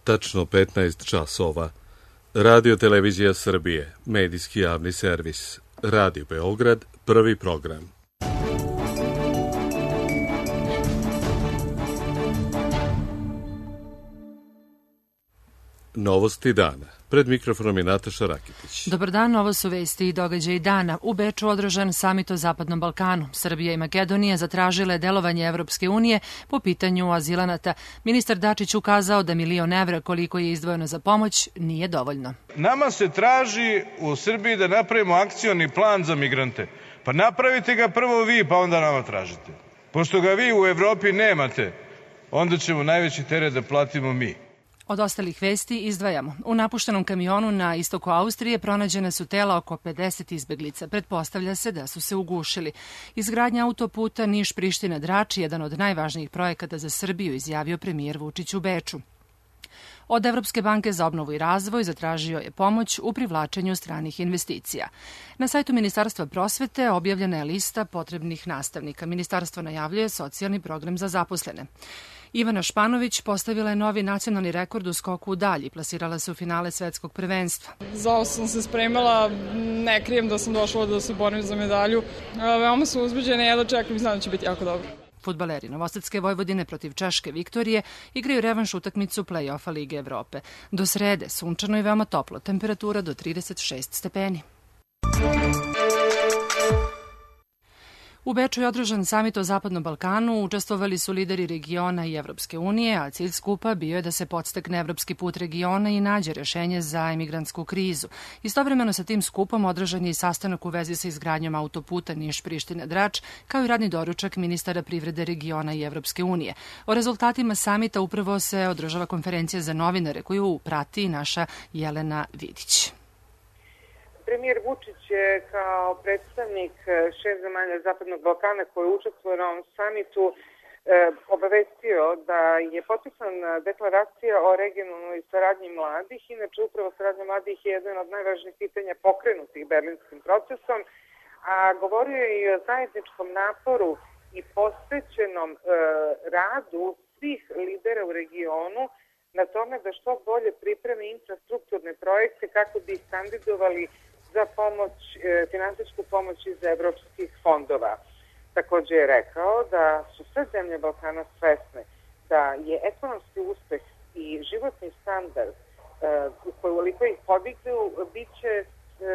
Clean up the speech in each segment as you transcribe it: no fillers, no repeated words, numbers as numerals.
tačno 15 časova. Radio Televizija Srbije, medijski javni servis. Radio Beograd, prvi program. Novosti dana. Pred mikrofonom je Nataša Rakitić. Dobar dan, ovo su vesti i događaji dana. U Beču održan samit o Zapadnom Balkanu. Srbija i Makedonija zatražile delovanje Evropske unije po pitanju azilanata. Ministar Dačić ukazao da 1.000.000 evra koliko je izdvojeno za pomoć nije dovoljno. Nama se traži u Srbiji da napravimo akcioni plan za migrante. Pa napravite ga prvo vi, pa onda nama tražite. Pošto ga vi u Evropi nemate, onda ćemo najveći teret da platimo mi. Od ostalih vesti izdvajamo. U napuštenom kamionu na istoku Austrije pronađene su tela oko 50 izbeglica. Pretpostavlja se da su se ugušili. Izgradnja autoputa Niš-Priština-Drač je jedan od najvažnijih projekata za Srbiju, izjavio premijer Vučić u Beču. Od Evropske banke za obnovu i razvoj zatražio je pomoć u privlačenju stranih investicija. Na sajtu Ministarstva prosvete objavljena je lista potrebnih nastavnika. Ministarstvo najavljuje socijalni program za zaposlene. Ivana Španović postavila je novi nacionalni rekord u skoku u dalj i plasirala se u finale svetskog prvenstva. Za ovo sam se spremala, ne krijem da sam došla da se borim za medalju. Veoma sam uzbuđena i jedva čekam i znam da će biti jako dobro. Fudbaleri Novosadske Vojvodine protiv Češke Viktorije igraju revanš utakmicu play-offa Lige Evrope. Do srede sunčano i veoma toplo, temperatura do 36 stepeni. U Beču je održan samit o Zapadnom Balkanu, učestvovali su lideri regiona i Evropske unije, a cilj skupa bio je da se podstakne evropski put regiona i nađe rešenje za emigrantsku krizu. Istovremeno sa tim skupom održan je i sastanak u vezi sa izgradnjom autoputa Niš-Priština-Drač, kao i radni doručak ministara privrede regiona i Evropske unije. O rezultatima samita upravo se održava konferencija za novinare koju prati naša Jelena Vidić. Premijer Vučić je kao predstavnik 6 zemalja Zapadnog Balkana koji učestvuje na ovom samitu obavestio da je potpisana deklaracija o regionalnoj saradnji mladih. Inače, upravo saradnja mladih je jedan od najvažnijih pitanja pokrenutih berlinskim procesom, a govorio je i o zajedničkom naporu i posvećenom radu svih lidera u regionu na tome da što bolje pripreme infrastrukturne projekte kako bi ih kandidovali za pomoć, finansijsku pomoć iz evropskih fondova. Također je rekao da su sve zemlje Balkana svesne da je ekonomski uspeh i životni standard ukoliko ih podignu, bit će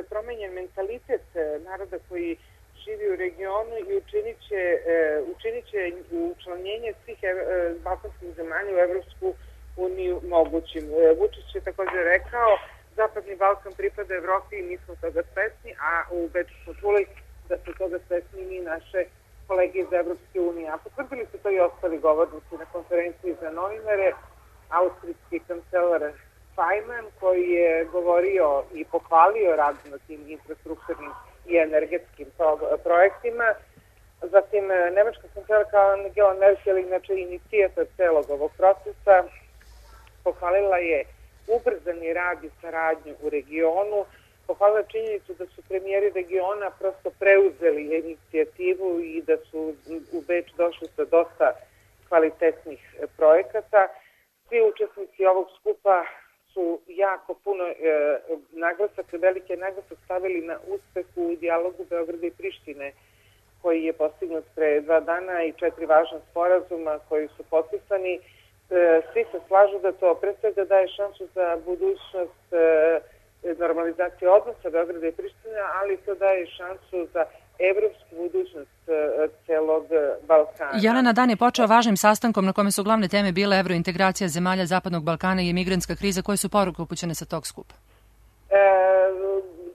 promenjen mentalitet naroda koji živi u regionu i učinit će učlanjenje svih balkanskih zemalja u Evropsku uniju mogućim. Vučić je također rekao Zapadni Balkan pripada Evropi i mi smo toga svesni, a u Beču smo čuli da su toga svesni i naše kolege iz Evropske unije. A potvrdili su to i ostali govornici na konferenciji za novinare, austrijski kancelar Fajman koji je govorio i pohvalio rad na tim infrastrukturnim i energetskim projektima. Zatim, nemačka kancelarka Angela Merkel, inače inicijator celog ovog procesa, pohvalila je ubrzani rad i saradnju u regionu, pohvalila činjenicu da su premijeri regiona prosto preuzeli inicijativu i da su u Beč došli sa dosta kvalitetnih projekata. Svi učesnici ovog skupa su jako puno velike naglasak stavili na uspeh u dijalogu Beograda i Prištine koji je postignut pre 2 dana i 4 važna sporazuma koji su potpisani. Svi se slažu da to pre svega daje šansu za budućnost normalizacije odnosa Beograda i Prištine, ali to daje šansu za evropsku budućnost celog Balkana. Jelena, dan je počeo važnim sastankom na kome su glavne teme bile evrointegracija zemalja Zapadnog Balkana i emigrantska kriza. Koje su poruke upućene sa tog skupa?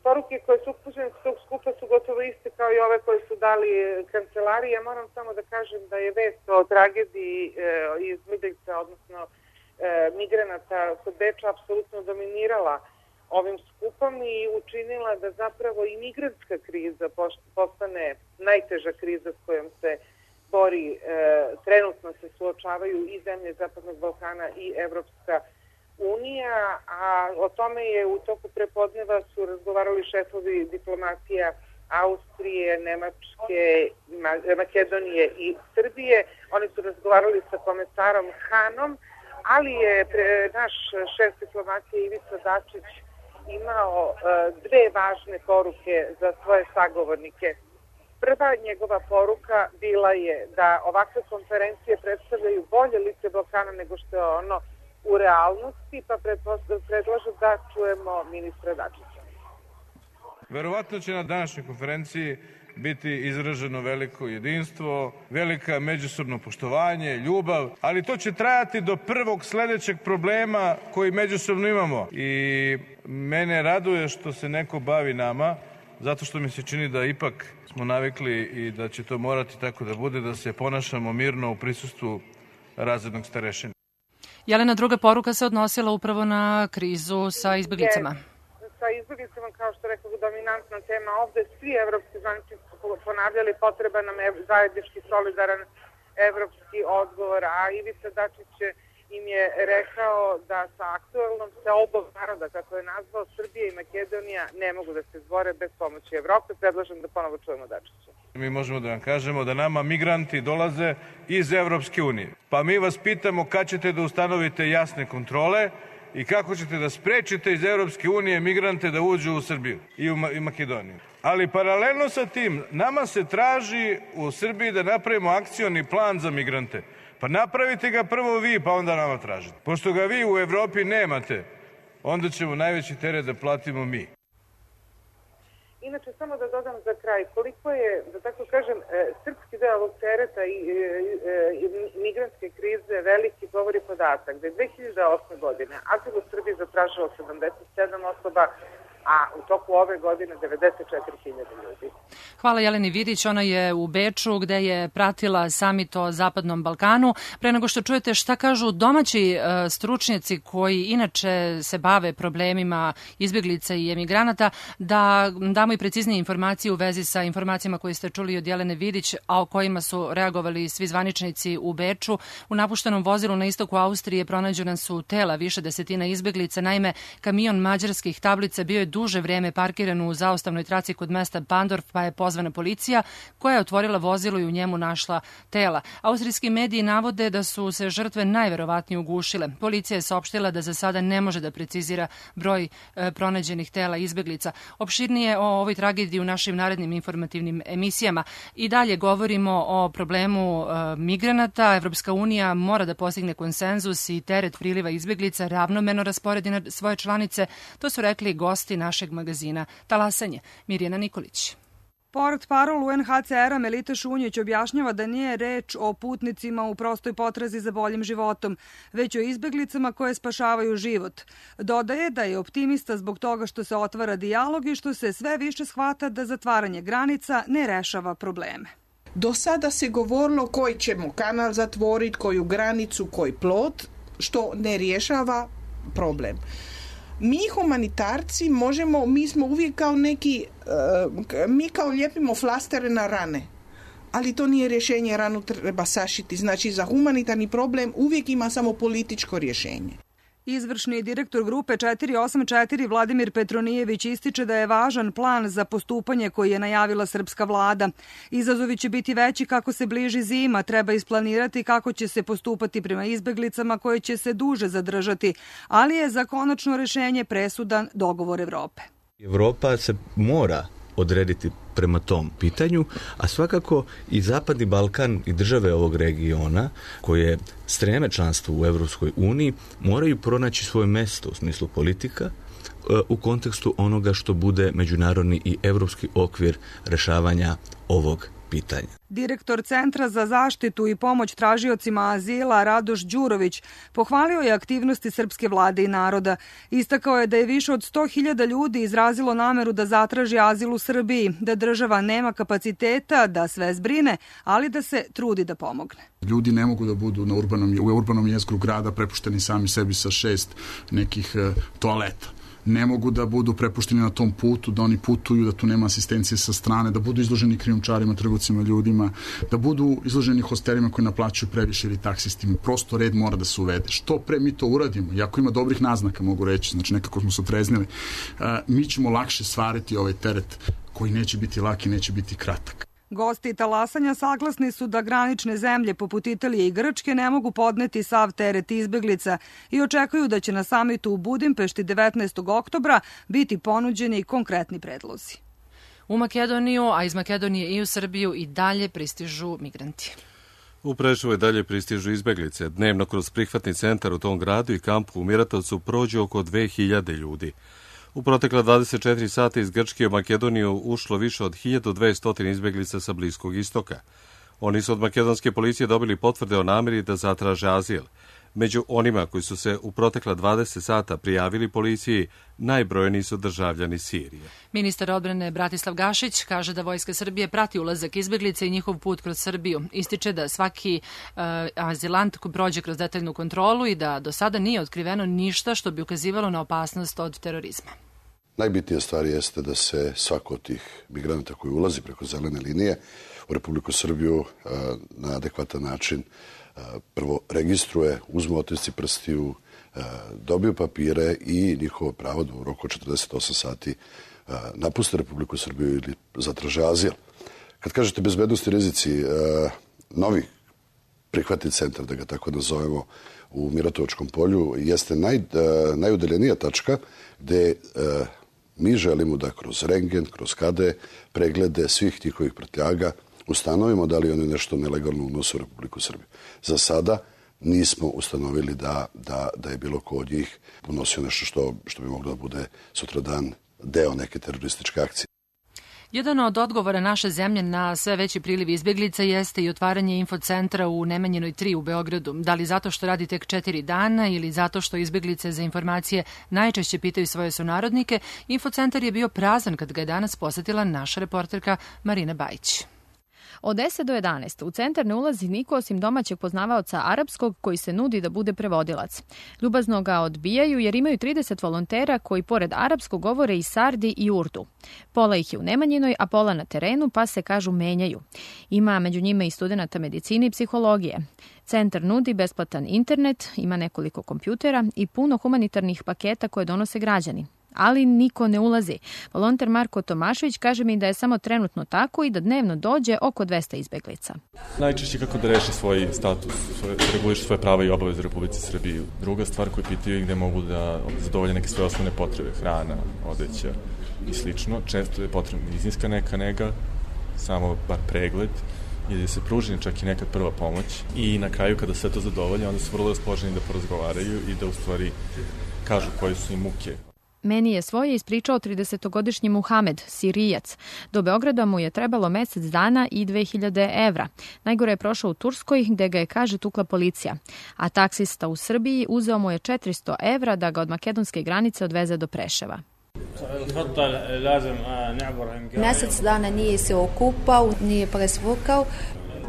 Poruke koje su upućene sa tog skupa su gotovo iste kao i ove koje su dali kancelari. Ja moram samo da kažem da je vest o tragediji izbjeglica, odnosno migranata kod Beča apsolutno dominirala ovim skupom i učinila da zapravo i migrantska kriza postane najteža kriza s kojom se bori. Trenutno se suočavaju i zemlje Zapadnog Balkana i Evropska unija, a o tome je u toku prepodneva su razgovarali šefovi diplomatija Austrije, Nemačke, Makedonije i Srbije. Oni su razgovarali sa komesarom Hanom, ali je naš šef diplomatije Ivica Dačić imao dve važne poruke za svoje sagovornike. Prva njegova poruka bila je da ovakve konferencije predstavljaju bolje lice Balkana nego što je ono u realnosti, pa predlažu da čujemo ministra Dačića. Verovatno će na današnjoj konferenciji biti izraženo veliko jedinstvo, velika međusobno poštovanje, ljubav, ali to će trajati do prvog sledećeg problema koji međusobno imamo. I mene raduje što se neko bavi nama, zato što mi se čini da ipak smo navikli i da će to morati tako da bude, da se ponašamo mirno u prisustvu razrednog starešine. Jelena, druga poruka se odnosila upravo na krizu sa izbeglicama. Sa izbeglicama, kao što rekao, dominantna tema ovde. Svi evropski zvaničnici su ponavljali potreba nam zajednički solidaran evropski odgovor, a Ivica Dačić im je rekao da sa aktuelnom seobom naroda, kako je nazvao, Srbija i Makedonija ne mogu da se izbore bez pomoći Evrope. Predlažem da ponovo čujemo Dačića. Mi možemo da vam kažemo da nama migranti dolaze iz Evropske unije. Pa mi vas pitamo kad ćete da ustanovite jasne kontrole i kako ćete da sprečite iz Evropske unije migrante da uđu u Srbiju i Makedoniju. Ali paralelno sa tim, nama se traži u Srbiji da napravimo akcioni plan za migrante. Pa napravite ga prvo vi, pa onda nama tražite. Pošto ga vi u Evropi nemate, onda ćemo najveći teret da platimo mi. Inače, samo da dodam za kraj, koliko je, da tako kažem, srpski deo ovog tereta i migrantske krize veliki govori podatak da je 2008. godine azil u Srbiji zatražilo 77 osoba, a u toku ove godine 94.000 ljudi. Hvala Jeleni Vidić, ona je u Beču gde je pratila samit o Zapadnom Balkanu. Pre nego što čujete šta kažu domaći stručnjaci koji inače se bave problemima izbjeglica i emigranata, da damo i preciznije informacije u vezi sa informacijama koje ste čuli od Jelene Vidić, a o kojima su reagovali svi zvaničnici u Beču. U napuštenom vozilu na istoku Austrije pronađena su tela više desetina izbjeglica. Naime, kamion mađarskih tablica bio je duže vreme parkiran u zaustavnoj traci kod mesta Bandorf, pa je pozvana policija koja je otvorila vozilo i u njemu našla tela. Austrijski mediji navode da su se žrtve najverovatnije ugušile. Policija je saopštila da za sada ne može da precizira broj pronađenih tela izbeglica. Opširnije o ovoj tragediji u našim narednim informativnim emisijama. I dalje govorimo o problemu migranata. Evropska unija mora da postigne konsenzus i teret priliva izbeglica ravnomerno rasporedi na svoje članice. To su rekli gosti našeg magazina Talasanje. Mirjana Nikolić. Portparol UNHCR-a Melita Šunjić objašnjava da nije reč o putnicima u prostoj potrazi za boljim životom, već o izbeglicama koje spašavaju život. Dodaje da je optimista zbog toga što se otvara dijalog i što se sve više shvata da zatvaranje granica ne rešava probleme. Do sada se govorilo koji ćemo kanal zatvoriti, koju granicu, koji plot, što ne rješava problem. Mi humanitarci mi smo uvijek kao neki, mi kao lijepimo flastere na rane, ali to nije rješenje, ranu treba sašiti. Znači za humanitarni problem uvijek ima samo političko rješenje. Izvršni direktor grupe 484 Vladimir Petronijević ističe da je važan plan za postupanje koji je najavila srpska vlada. Izazovi će biti veći kako se bliži zima, treba isplanirati kako će se postupati prema izbeglicama koje će se duže zadržati, ali je za konačno rešenje presudan dogovor Evrope. Evropa se mora odrediti prema tom pitanju, a svakako i Zapadni Balkan i države ovog regiona koje streme članstvu u Evropskoj uniji moraju pronaći svoje mesto u smislu politika u kontekstu onoga što bude međunarodni i evropski okvir rešavanja ovog pitanja. Direktor Centra za zaštitu i pomoć tražiocima azila Radoš Đurović pohvalio je aktivnosti srpske vlade i naroda. Istakao je da je više od 100.000 ljudi izrazilo nameru da zatraži azil u Srbiji, da država nema kapaciteta da sve zbrine, ali da se trudi da pomogne. Ljudi ne mogu da budu u urbanom jezgru grada prepušteni sami sebi sa 6 nekih toaleta. Ne mogu da budu prepušteni na tom putu, da oni putuju, da tu nema asistencije sa strane, da budu izloženi krijumčarima, trgovcima ljudima, da budu izloženi hostelima koji naplaćuju previše ili taksistima. Prosto red mora da se uvede. Što pre mi to uradimo, iako ima dobrih naznaka, mogu reći, znači nekako smo se otreznili, mi ćemo lakše stvariti ovaj teret koji neće biti lak i neće biti kratak. Gosti talasanja saglasni su da granične zemlje poput Italije i Grčke ne mogu podneti sav teret izbeglica i očekuju da će na samitu u Budimpešti 19. oktobra biti ponuđeni konkretni predlozi. U Makedoniju, a iz Makedonije i u Srbiju i dalje pristižu migranti. U Preševu i dalje pristižu izbeglice. Dnevno kroz prihvatni centar u tom gradu i kampu u Miratovcu prođe oko 2000 ljudi. U protekla 24 sata iz Grčke u Makedoniju ušlo više od 1200 izbeglica sa Bliskog istoka. Oni su od makedonske policije dobili potvrde o nameri da zatraže azil. Među onima koji su se u protekla 20 sata prijavili policiji, najbrojniji su državljani Sirije. Ministar odbrane Bratislav Gašić kaže da Vojska Srbije prati ulazak izbeglica i njihov put kroz Srbiju. Ističe da svaki azilant prođe kroz detaljnu kontrolu i da do sada nije otkriveno ništa što bi ukazivalo na opasnost od terorizma. Najbitnija stvar jeste da se svako od tih migranata koji ulazi preko zelene linije u Republiku Srbiju na adekvatan način prvo registruje, uzme otisci prstiju, dobiju papire i njihovo pravo da u roku od 48 sati napuste Republiku Srbiju ili zatraže azil. Kad kažete bezbednosti rizici, novi prihvatni centar, da ga tako nazovemo, u Miratovačkom polju jeste najudaljenija tačka gde mi želimo da kroz rengen, kroz KD preglede svih njihovih prtljaga ustanovimo da li oni nešto nelegalno unose u Republiku Srbiju. Za sada nismo ustanovili da je bilo ko od njih unosio nešto što bi moglo da bude sutradan deo neke terorističke akcije. Jedan od odgovora naše zemlje na sve veći priliv izbeglica jeste i otvaranje infocentra u Nemanjinoj 3 u Beogradu. Da li zato što radi tek 4 dana ili zato što izbeglice za informacije najčešće pitaju svoje sunarodnike, infocentar je bio prazan kad ga je danas posetila naša reporterka Marina Bajić. Od 10 do 11 u centar ne ulazi niko osim domaćeg poznavaoca arapskog koji se nudi da bude prevodilac. Ljubazno ga odbijaju jer imaju 30 volontera koji pored arapskog govore i sardi i urdu. Pola ih je u Nemanjinoj, a pola na terenu, pa se kažu menjaju. Ima među njima i studenata medicine i psihologije. Centar nudi besplatan internet, ima nekoliko kompjutera i puno humanitarnih paketa koje donose građani. Ali niko ne ulazi. Volonter Marko Tomašević kaže mi da je samo trenutno tako i da dnevno dođe oko 200 izbeglica. Najčešće kako da reši svoj status, reguliš svoje prava i obaveze u Republici Srbiji. Druga stvar koju pitaju gde mogu da zadovolje neke svoje osnovne potrebe, hrana, odeća i slično. Često je potrebna medicinska neka nega, samo bar pregled, ili da se pruži čak i neka prva pomoć. I na kraju kada sve to zadovolje, onda su vrlo raspoloženi da porazgovaraju i da u stvari kažu koje su im muke. Meni je svoje ispričao 30-godišnji Muhamed, Sirijac. Do Beograda mu je trebalo mesec dana i 2000 evra. Najgore je prošao u Turskoj, gde ga je, kaže, tukla policija. A taksista u Srbiji uzeo mu je 400 evra da ga od makedonske granice odveze do Preševa. Mesec dana nije se okupao, nije presvukao.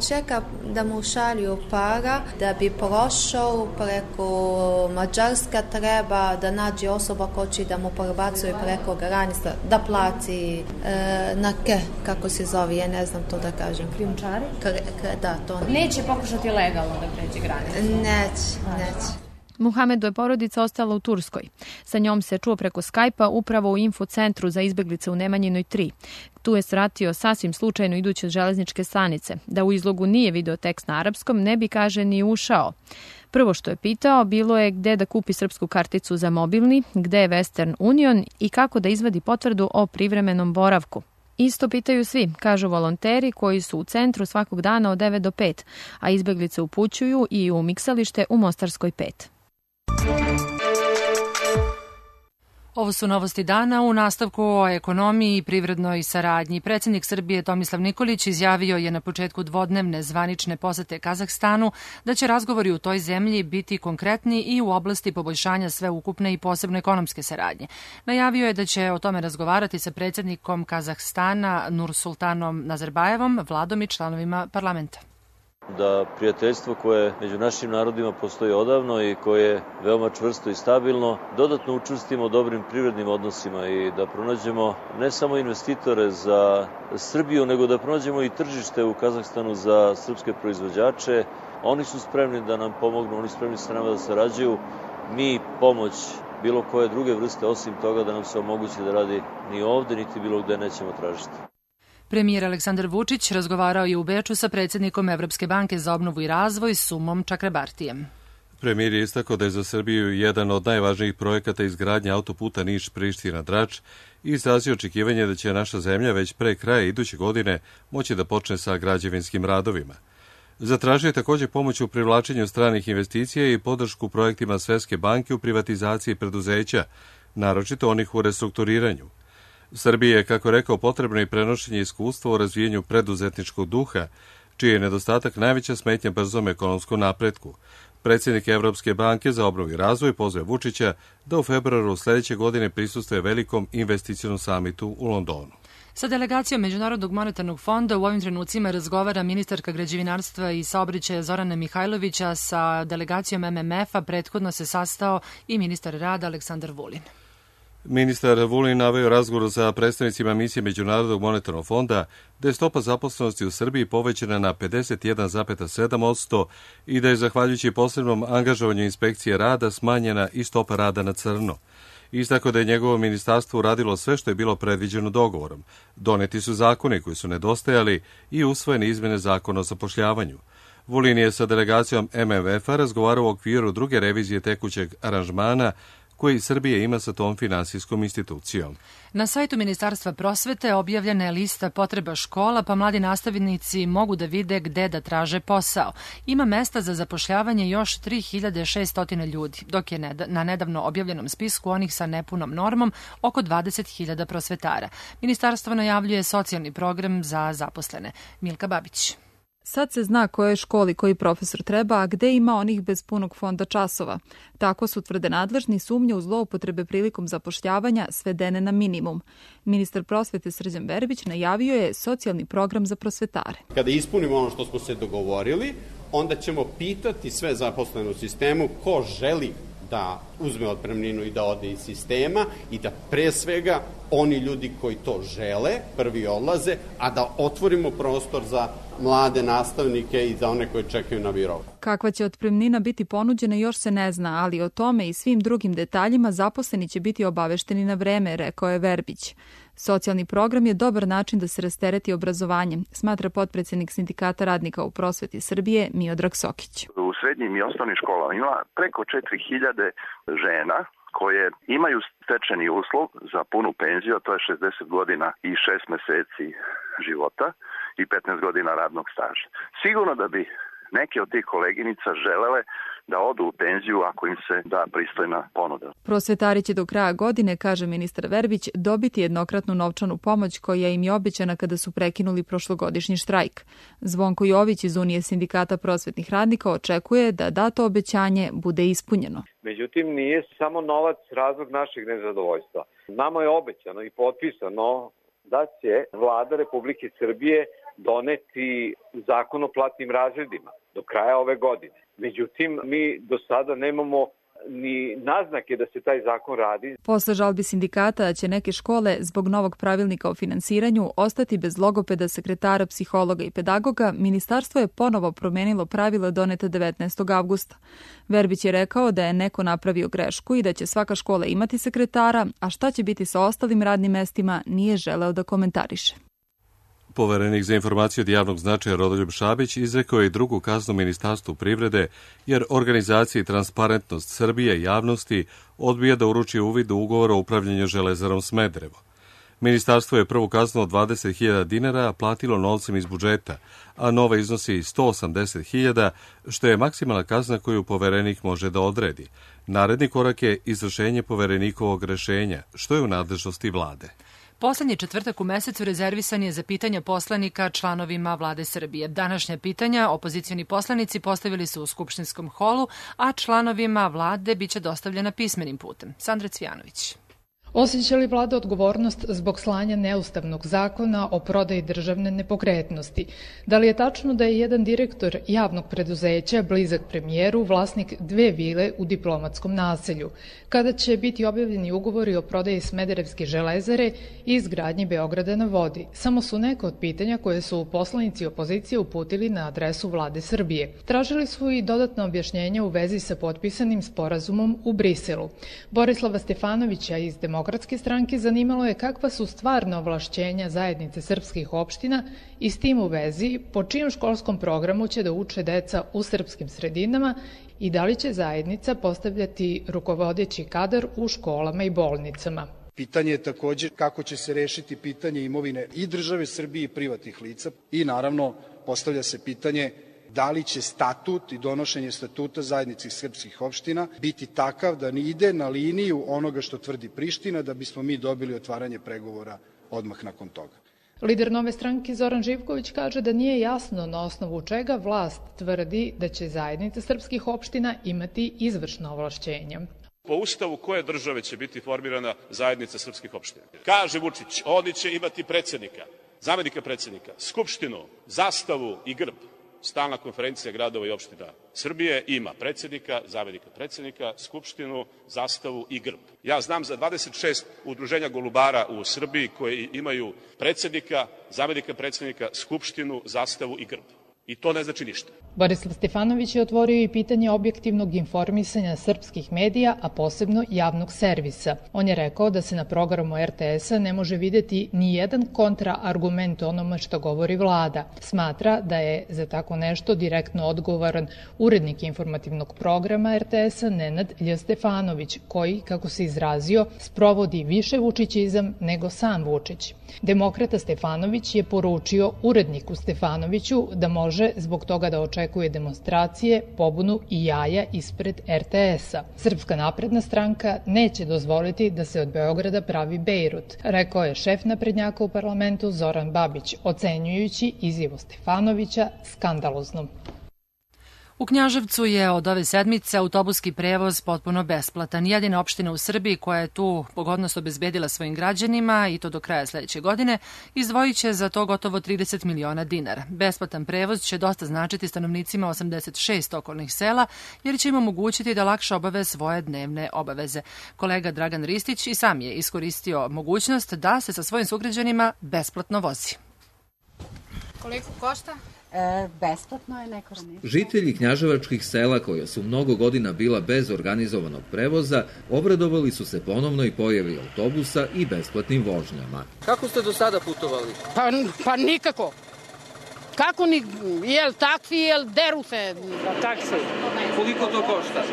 Čeka da mu šalju para da bi prošao preko Mađarska, treba da nađe osoba ko će da mu prebacuje preko granica, da plati kako se zove, ja ne znam to da kažem. Krijumčari? Da, to. Neće pokušati legalno da pređe granicu? Neće. Muhamedu je porodica ostala u Turskoj. Sa njom se čuo preko Skype-a upravo u infocentru za izbeglice u Nemanjinoj 3. Tu je svratio sasvim slučajno idući od železničke stanice. Da u izlogu nije video tekst na arapskom, ne bi, kaže, ni ušao. Prvo što je pitao bilo je gde da kupi srpsku karticu za mobilni, gde je Western Union i kako da izvadi potvrdu o privremenom boravku. Isto pitaju svi, kažu volonteri koji su u centru svakog dana od 9 do 5, a izbeglice upućuju i u miksalište u Mostarskoj 5. Ovo su novosti dana u nastavku o ekonomiji i privrednoj saradnji. Predsjednik Srbije Tomislav Nikolić izjavio je na početku dvodnevne zvanične posete Kazahstanu da će razgovori u toj zemlji biti konkretni i u oblasti poboljšanja sveukupne i posebno ekonomske saradnje. Najavio je da će o tome razgovarati sa predsjednikom Kazahstana Nursultanom Nazarbajevom, vladom i članovima parlamenta. Da prijateljstvo koje među našim narodima postoji odavno i koje je veoma čvrsto i stabilno, dodatno učvrstimo dobrim privrednim odnosima i da pronađemo ne samo investitore za Srbiju, nego da pronađemo i tržište u Kazahstanu za srpske proizvođače. Oni su spremni da nam pomognu, oni su spremni sa nama da sarađuju. Mi pomoć bilo koje druge vrste, osim toga da nam se omogući da radi ni ovde, niti bilo gde nećemo tražiti. Premijer Aleksandar Vučić razgovarao je u Beču sa predsjednikom Evropske banke za obnovu i razvoj Sumom Čakrabartijem. Premijer je istakao da je za Srbiju jedan od najvažnijih projekata izgradnja autoputa Niš-Priština-Drač i izrazio očekivanje da će naša zemlja već pre kraja iduće godine moći da počne sa građevinskim radovima. Zatražio je također pomoć u privlačenju stranih investicija i podršku projektima Svetske banke u privatizaciji preduzeća, naročito onih u restrukturiranju. Srbiji je, kako rekao, potrebno i prenošenje iskustva u razvijenju preduzetničkog duha, čiji je nedostatak najveća smetnja brzom ekonomskom napretku. Predsjednik Evropske banke za obnovu i razvoj pozvao Vučića da u februaru sledeće godine prisustvuje velikom investicionom samitu u Londonu. Sa delegacijom Međunarodnog monetarnog fonda u ovim trenucima razgovara ministarka građevinarstva i saobraćaja Zorana Mihajlovića. Sa delegacijom MMF-a prethodno se sastao i ministar rada Aleksandar Vulin. Ministar Vulin naveo razgovor sa predstavnicima misije Međunarodnog monetarnog fonda da je stopa zaposlenosti u Srbiji povećana na 51,7% i da je zahvaljujući posebnom angažovanju inspekcije rada smanjena i stopa rada na crno. Istako da je njegovo ministarstvo uradilo sve što je bilo predviđeno dogovorom. Doneti su zakoni koji su nedostajali i usvojene izmene zakona o zapošljavanju. Vulin je sa delegacijom MMF-a razgovarao u okviru druge revizije tekućeg aranžmana koji Srbija ima sa tom finansijskom institucijom. Na sajtu Ministarstva prosvete objavljena je lista potreba škola, pa mladi nastavnici mogu da vide gde da traže posao. Ima mesta za zapošljavanje još 3600 ljudi, dok je na nedavno objavljenom spisku onih sa nepunom normom oko 20.000 prosvetara. Ministarstvo najavljuje socijalni program za zaposlene. Milka Babić. Sad se zna kojoj školi koji profesor treba, a gde ima onih bez punog fonda časova. Tako su, tvrde nadležni, sumnje u zloupotrebe prilikom zapošljavanja svedene na minimum. Ministar prosvete Srđan Verbić najavio je socijalni program za prosvetare. Kada ispunimo ono što smo se dogovorili, onda ćemo pitati sve zaposlene u sistemu ko želi da uzme otpremninu i da ode iz sistema i da pre svega oni ljudi koji to žele prvi odlaze, a da otvorimo prostor za mlade nastavnike i za one koji čekaju na biro. Kakva će otpremnina biti ponuđena još se ne zna, ali o tome i svim drugim detaljima zaposleni će biti obavešteni na vreme, rekao je Verbić. Socijalni program je dobar način da se rastereti obrazovanje, smatra potpredsjednik Sindikata radnika u prosveti Srbije Miodrag Sokić. U srednjim i osnovnim školama ima preko 4000 žena koje imaju stečeni uslov za punu penziju, a to je 60 godina i 6 meseci života i 15 godina radnog staža. Sigurno da bi neke od tih koleginica želele da odu u penziju ako im se da pristojna ponuda. Prosvetari će do kraja godine, kaže ministar Verbić, dobiti jednokratnu novčanu pomoć koja im je obećana kada su prekinuli prošlogodišnji štrajk. Zvonko Jović iz Unije sindikata prosvetnih radnika očekuje da dato obećanje bude ispunjeno. Međutim, nije samo novac razlog našeg nezadovoljstva. Nama je obećano i potpisano da će Vlada Republike Srbije doneti zakon o platnim razredima do kraja ove godine. Međutim, mi do sada nemamo ni naznake da se taj zakon radi. Posle žalbi sindikata će neke škole zbog novog pravilnika o finansiranju ostati bez logopeda, sekretara, psihologa i pedagoga. Ministarstvo je ponovo promenilo pravila doneta 19. avgusta. Verbić je rekao da je neko napravio grešku i da će svaka škola imati sekretara, a šta će biti sa ostalim radnim mestima nije želeo da komentariše. Poverenik za informacije od javnog značaja Rodoljub Šabić izrekao je i drugu kaznu Ministarstvu privrede, jer organizaciji Transparentnost Srbije javnosti odbija da uruči uvid u ugovor o upravljanju Železarom Smederevo. Ministarstvo je prvu kaznu od 20.000 dinara platilo novcem iz budžeta, a nova iznosi 180.000, što je maksimalna kazna koju poverenik može da odredi. Naredni korak je izvršenje poverenikovog rešenja, što je u nadležnosti vlade. Poslednji četvrtak u mesecu rezervisan je za pitanja poslanika članovima vlade Srbije. Današnja pitanja opozicioni poslanici postavili su u skupštinskom holu, a članovima vlade biće dostavljena pismenim putem. Sandra Cvijanović. Osjeća li vlada odgovornost zbog slanja neustavnog zakona o prodaji državne nepokretnosti? Da li je tačno da je jedan direktor javnog preduzeća, blizak premijeru, vlasnik 2 vile u diplomatskom naselju? Kada će biti objavljeni ugovori o prodaji Smederevske železare i izgradnji Beograda na vodi? Samo su neka od pitanja koje su poslanici opozicije uputili na adresu vlade Srbije. Tražili su i dodatno objašnjenje u vezi sa potpisanim sporazumom u Briselu. Borislava Stefanovića iz Demokratske Demokratske stranke zanimalo je kakva su stvarna ovlašćenja zajednice srpskih opština i s tim u vezi po čijem školskom programu će da uče deca u srpskim sredinama i da li će zajednica postavljati rukovodeći kadar u školama i bolnicama. Pitanje je također kako će se rešiti pitanje imovine i države Srbije i privatnih lica i naravno postavlja se pitanje da li će statut i donošenje statuta zajednice srpskih opština biti takav da ne ide na liniju onoga što tvrdi Priština da bismo mi dobili otvaranje pregovora odmah nakon toga. Lider Nove stranke Zoran Živković kaže da nije jasno na osnovu čega vlast tvrdi da će zajednica srpskih opština imati izvršna ovlašćenja. Po ustavu koje države će biti formirana zajednica srpskih opština? Kaže Vučić, oni će imati predsednika, zamenika predsednika, skupštinu, zastavu i grb. Stalna konferencija gradova i opština Srbije ima predsednika, zamenika predsednika, skupštinu, zastavu i grb. Ja znam za 26 udruženja golubara u Srbiji koji imaju predsednika, zamenika predsednika, skupštinu, zastavu i grb. I to ne znači ništa. Borislav Stefanović je otvorio i pitanje objektivnog informisanja srpskih medija, a posebno javnog servisa. On je rekao da se na programu RTS-a ne može videti ni jedan kontraargument onome što govori vlada. Smatra da je za tako nešto direktno odgovoran urednik informativnog programa RTS-a Nenad Lj. Stefanović, koji, kako se izrazio, sprovodi više vučićizam nego sam Vučić. Demokrata Stefanović je poručio uredniku Stefanoviću da može zbog toga da očekuje demonstracije, pobunu i jaja ispred RTS-a. Srpska napredna stranka neće dozvoliti da se od Beograda pravi Bejrut, rekao je šef naprednjaka u parlamentu Zoran Babić, ocenjujući izjavu Stefanovića skandaloznom. U Knjaževcu je od ove sedmice autobuski prevoz potpuno besplatan. Jedina opština u Srbiji koja je tu pogodnost obezbedila svojim građanima i to do kraja sledeće godine izdvojit će za to gotovo 30 miliona dinara. Besplatan prevoz će dosta značiti stanovnicima 86 okolnih sela jer će im omogućiti da lakše obave svoje dnevne obaveze. Kolega Dragan Ristić i sam je iskoristio mogućnost da se sa svojim sugrađanima besplatno vozi. Koliko košta? Besplatno je neko ranije. Žitelji knjaževačkih sela koja su mnogo godina bila bez organizovanog prevoza obradovali su se ponovnoj pojavi autobusa i besplatnim vožnjama. Kako ste do sada putovali? Pa nikako. Kako ni, jel taksi, jel deru se? Taksi. Koliko to košta?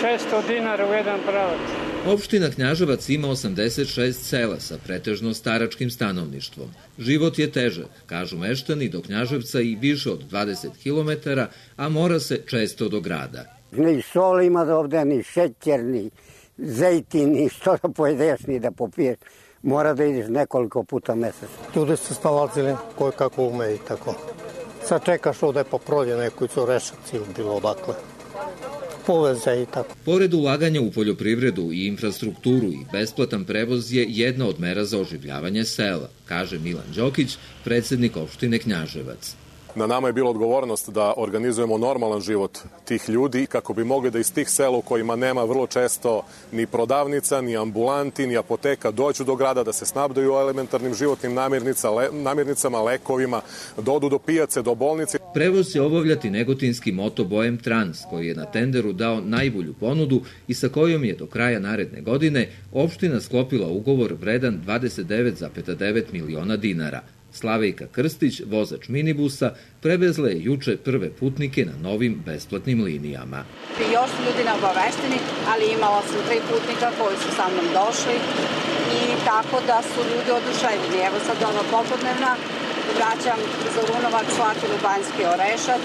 600 dinara u jedan pravac. Opština Knjaževac ima 86 sela sa pretežno staračkim stanovništvom. Život je težak, kažu meštani, do Knjaževca i više od 20 km, a mora se često do grada. Ni sol ima ovde, ni šećer, ni zejtin, ni što da pojedeš, ni da popiješ. Mora da ideš nekoliko puta mesečno. Ljudi se snalazili koje kako ume i tako. Sad čekaš ovde po prolje neku Rešac ili bilo odakle. Poveze i tako. Pored ulaganja u poljoprivredu i infrastrukturu i besplatan prevoz je jedna od mera za oživljavanje sela, kaže Milan Đokić, predsednik opštine Knjaževac. Na nama je bila odgovornost da organizujemo normalan život tih ljudi kako bi mogli da iz tih sela u kojima nema vrlo često ni prodavnica, ni ambulanti, ni apoteka dođu do grada, da se snabdaju elementarnim životnim namirnicama, lekovima, da odu do pijace, do bolnice. Prevoz će obavljati negotinski Moto Boem Trans, koji je na tenderu dao najbolju ponudu i sa kojom je do kraja naredne godine opština sklopila ugovor vredan 29,9 miliona dinara. Slavejka Krstić, vozač minibusa, prevezla je juče prve putnike na novim besplatnim linijama. Još su ljudi neobavešteni, ali imala sam 3 putnika koji su sa mnom došli i tako da su ljudi oduševljeni. Evo sad popodnevna vraćam za Runovac, Slatinu, Banjski Orešac,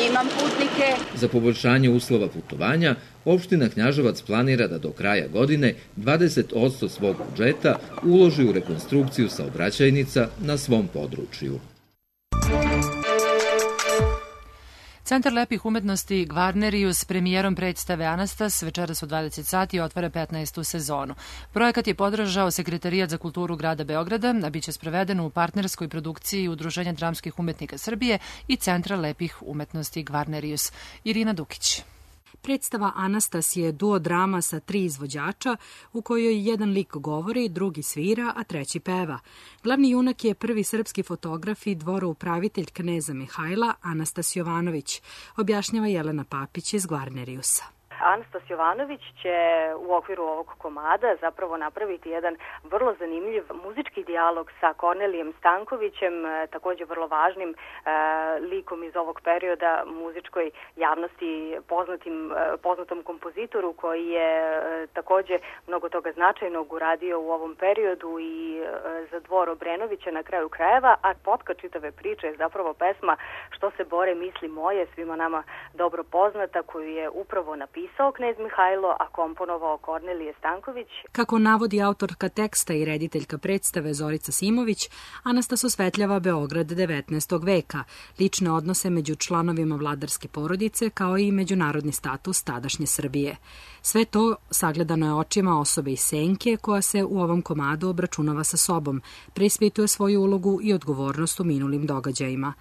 imam putnike. Za poboljšanje uslova putovanja, opština Knjaževac planira da do kraja godine 20% svog budžeta uloži u rekonstrukciju saobraćajnica na svom području. Centar lepih umetnosti Gvarnerius s premijerom predstave Anastas večeras u 20 sati otvara 15. sezonu. Projekat je podržao Sekretarijat za kulturu grada Beograda, a biće sproveden u partnerskoj produkciji Udruženja dramskih umetnika Srbije i Centra lepih umetnosti Gvarnerius. Irina Dukić. Predstava Anastas je duo drama sa 3 izvođača u kojoj jedan lik govori, drugi svira, a treći peva. Glavni junak je prvi srpski fotograf i dvoroupravitelj kneza Mihajla Anastas Jovanović, objašnjava Jelena Papić iz Gvarneriusa. Anastas Jovanović će u okviru ovog komada zapravo napraviti jedan vrlo zanimljiv muzički dijalog sa Kornelijem Stankovićem, takođe vrlo važnim likom iz ovog perioda muzičkoj javnosti, poznatom kompozitoru koji je takođe mnogo toga značajnog uradio u ovom periodu i za dvor Obrenovića na kraju krajeva, a potka čitave priče je zapravo pesma Što se bore misli moje, svima nama dobro poznata, koju je upravo napisao knez Mihajlo, a komponovao Kornelije Stanković. Kako navodi autorka teksta i rediteljka predstave Zorica Simović, Anastas osvetljava Beograd 19. veka, lične odnose među članovima vladarske porodice, kao i međunarodni status tadašnje Srbije. Sve to sagledano je očima osobe iz senke, koja se u ovom komadu obračunava sa sobom, preispituje svoju ulogu i odgovornost u minulim događajima.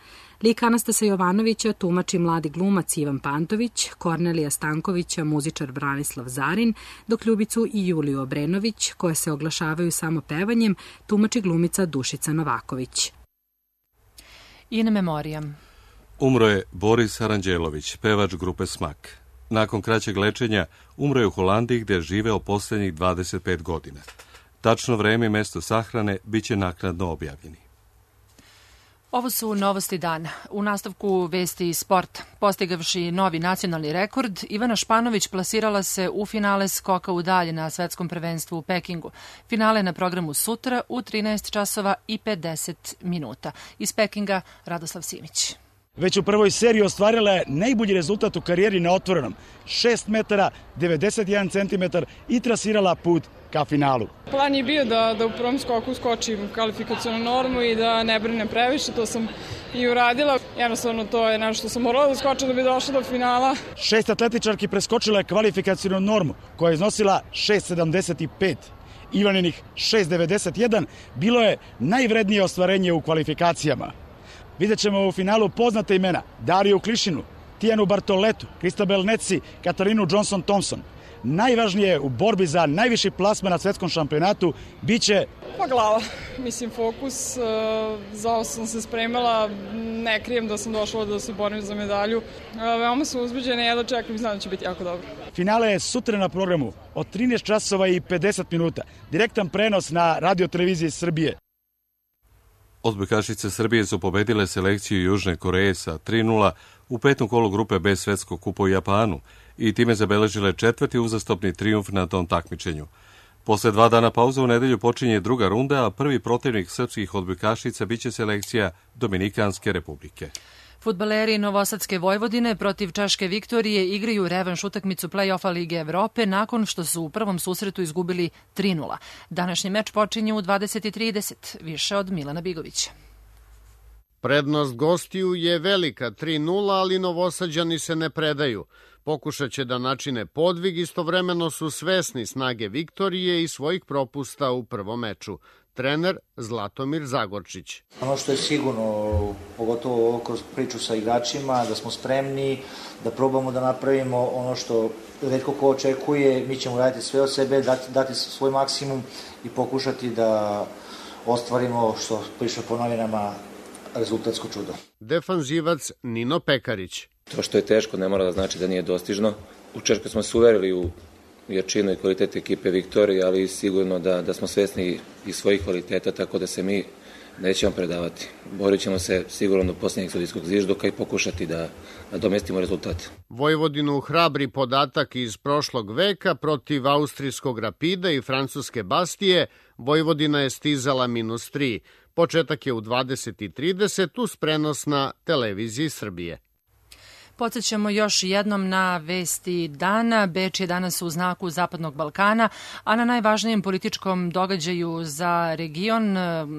Lik Anastasa Jovanovića tumači mladi glumac Ivan Pantović, Kornelija Stankovića muzičar Branislav Zarin, dok Ljubicu i Juliju Obrenović, koje se oglašavaju samo pevanjem, tumači glumica Dušica Novaković. In memoriam. Umro je Boris Aranđelović, pevač grupe Smak. Nakon kraćeg lečenja umro je u Holandiji, gde je živeo poslednjih 25 godina. Tačno vreme i mesto sahrane biće naknadno objavljeni. Ovo su novosti dana. U nastavku vesti iz sporta. Postigavši novi nacionalni rekord, Ivana Španović plasirala se u finale skoka u dalje na svetskom prvenstvu u Pekingu. Finale je na programu sutra u 13 časova i 50 minuta. Iz Pekinga, Radoslav Simić. Već u prvoj seriji ostvarila je najbolji rezultat u karijeri na otvorenom. 6 metara, 91 centimetar i trasirala put ka finalu. Plan je bio da u prvom skoku skočim kvalifikacionu normu i da ne brinem previše, to sam i uradila. Jednostavno to je nešto što sam morala da skočim da bi došla do finala. 6 atletičarki preskočila je kvalifikacionu normu koja je iznosila 6,75. Ivaninih 6,91 bilo je najvrednije ostvarenje u kvalifikacijama. Vidjet ćemo u finalu poznate imena: Dariju Klišinu, Tijanu Bartoletu, Kristabel Neci, Katarinu Johnson-Thompson. Najvažnije u borbi za najviši plasman na svetskom šampionatu biće... Pa glava, mislim fokus, za ovo sam se spremala, ne krijem da sam došla da se borim za medalju. Veoma sam uzbuđena i jedva čekam i znam da će biti jako dobro. Finale je sutra na programu od 13 časova i 50 minuta. Direktan prenos na Radio-televiziji Srbije. Odbojkašice Srbije su pobedile selekciju Južne Koreje sa 3:0 u petom kolu grupe B svetskog kupa u Japanu i time zabeležile 4. uzastopni trijumf na tom takmičenju. Posle 2 dana pauze u nedelju počinje druga runda, a prvi protivnik srpskih odbojkašica biće selekcija Dominikanske republike. Fudbaleri Novosadske Vojvodine protiv Češke Viktorije igraju revanš utakmicu play-offa Lige Evrope nakon što su u prvom susretu izgubili 3:0. Današnji meč počinje u 20:30. Više od Milana Bigovića. Prednost gostiju je velika 3:0, ali Novosađani se ne predaju. Pokušat će da načine podvig, istovremeno su svesni snage Viktorije i svojih propusta u prvom meču. Trener Zlatomir Zagorčić. Ono što je sigurno, pogotovo kroz priču sa igračima, da smo spremni, da probamo da napravimo ono što retko ko očekuje, mi ćemo raditi sve od sebe, dati svoj maksimum i pokušati da ostvarimo, što piše po novinama, rezultatsko čudo. Defanzivac Nino Pekarić. To što je teško ne mora da znači da nije dostižno. U Češkoj smo se uverili u jačinu i kvalitet ekipe Viktorije, ali sigurno da smo svesni i svojih kvaliteta, tako da se mi nećemo predavati. Borit ćemo se sigurno do posljednjeg sudijskog zviždoka i pokušati da domestimo rezultat. Vojvodinu hrabri podatak iz prošlog veka protiv austrijskog Rapida i francuske Bastije. Vojvodina je stizala -3. Početak je u 20:30 uz prenos na televiziji Srbije. Podsjećamo još jednom na vesti dana. Beč je danas u znaku Zapadnog Balkana, a na najvažnijem političkom događaju za region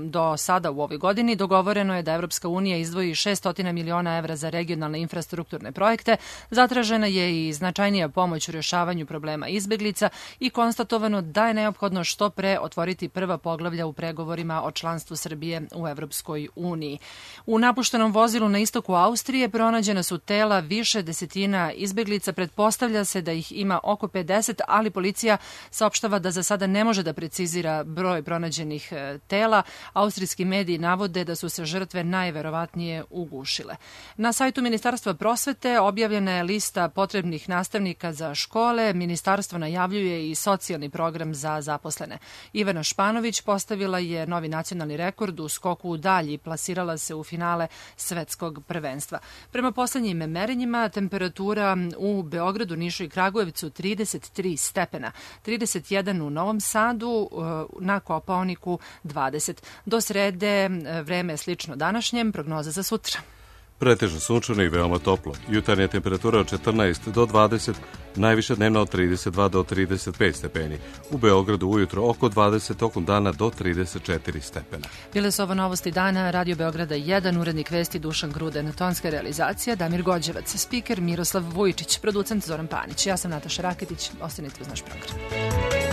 do sada u ovoj godini dogovoreno je da Evropska unija izdvoji 600 miliona evra za regionalne infrastrukturne projekte, zatražena je i značajnija pomoć u rješavanju problema izbeglica i konstatovano da je neophodno što pre otvoriti prva poglavlja u pregovorima o članstvu Srbije u Evropskoj uniji. U napuštenom vozilu na istoku Austrije pronađena su tela više desetina izbeglica. Pretpostavlja se da ih ima oko 50, ali policija saopštava da za sada ne može da precizira broj pronađenih tela. Austrijski mediji navode da su se žrtve najverovatnije ugušile. Na sajtu Ministarstva prosvete objavljena je lista potrebnih nastavnika za škole. Ministarstvo najavljuje i socijalni program za zaposlene. Ivana Španović postavila je novi nacionalni rekord u skoku u dalj i plasirala se u finale svetskog prvenstva. Prema poslednjim merenjima, temperatura u Beogradu, Nišu i Kragujevcu 33 stepena, 31 u Novom Sadu, na Kopaoniku 20. Do srede vreme je slično današnjem, prognoza za sutra. Pretežno sunčano i veoma toplo. Jutarnja temperatura od 14 do 20, najviše dnevna od 32 do 35 stepeni. U Beogradu ujutro oko 20, tokom dana do 34 stepena. Bile su ovo novosti dana, Radio Beograda 1, urednik vesti Dušan Gruden, tonska realizacija Damir Gođevac, spiker Miroslav Vujčić, producent Zoran Panić. Ja sam Nataša Raketić, ostanite uz naš program.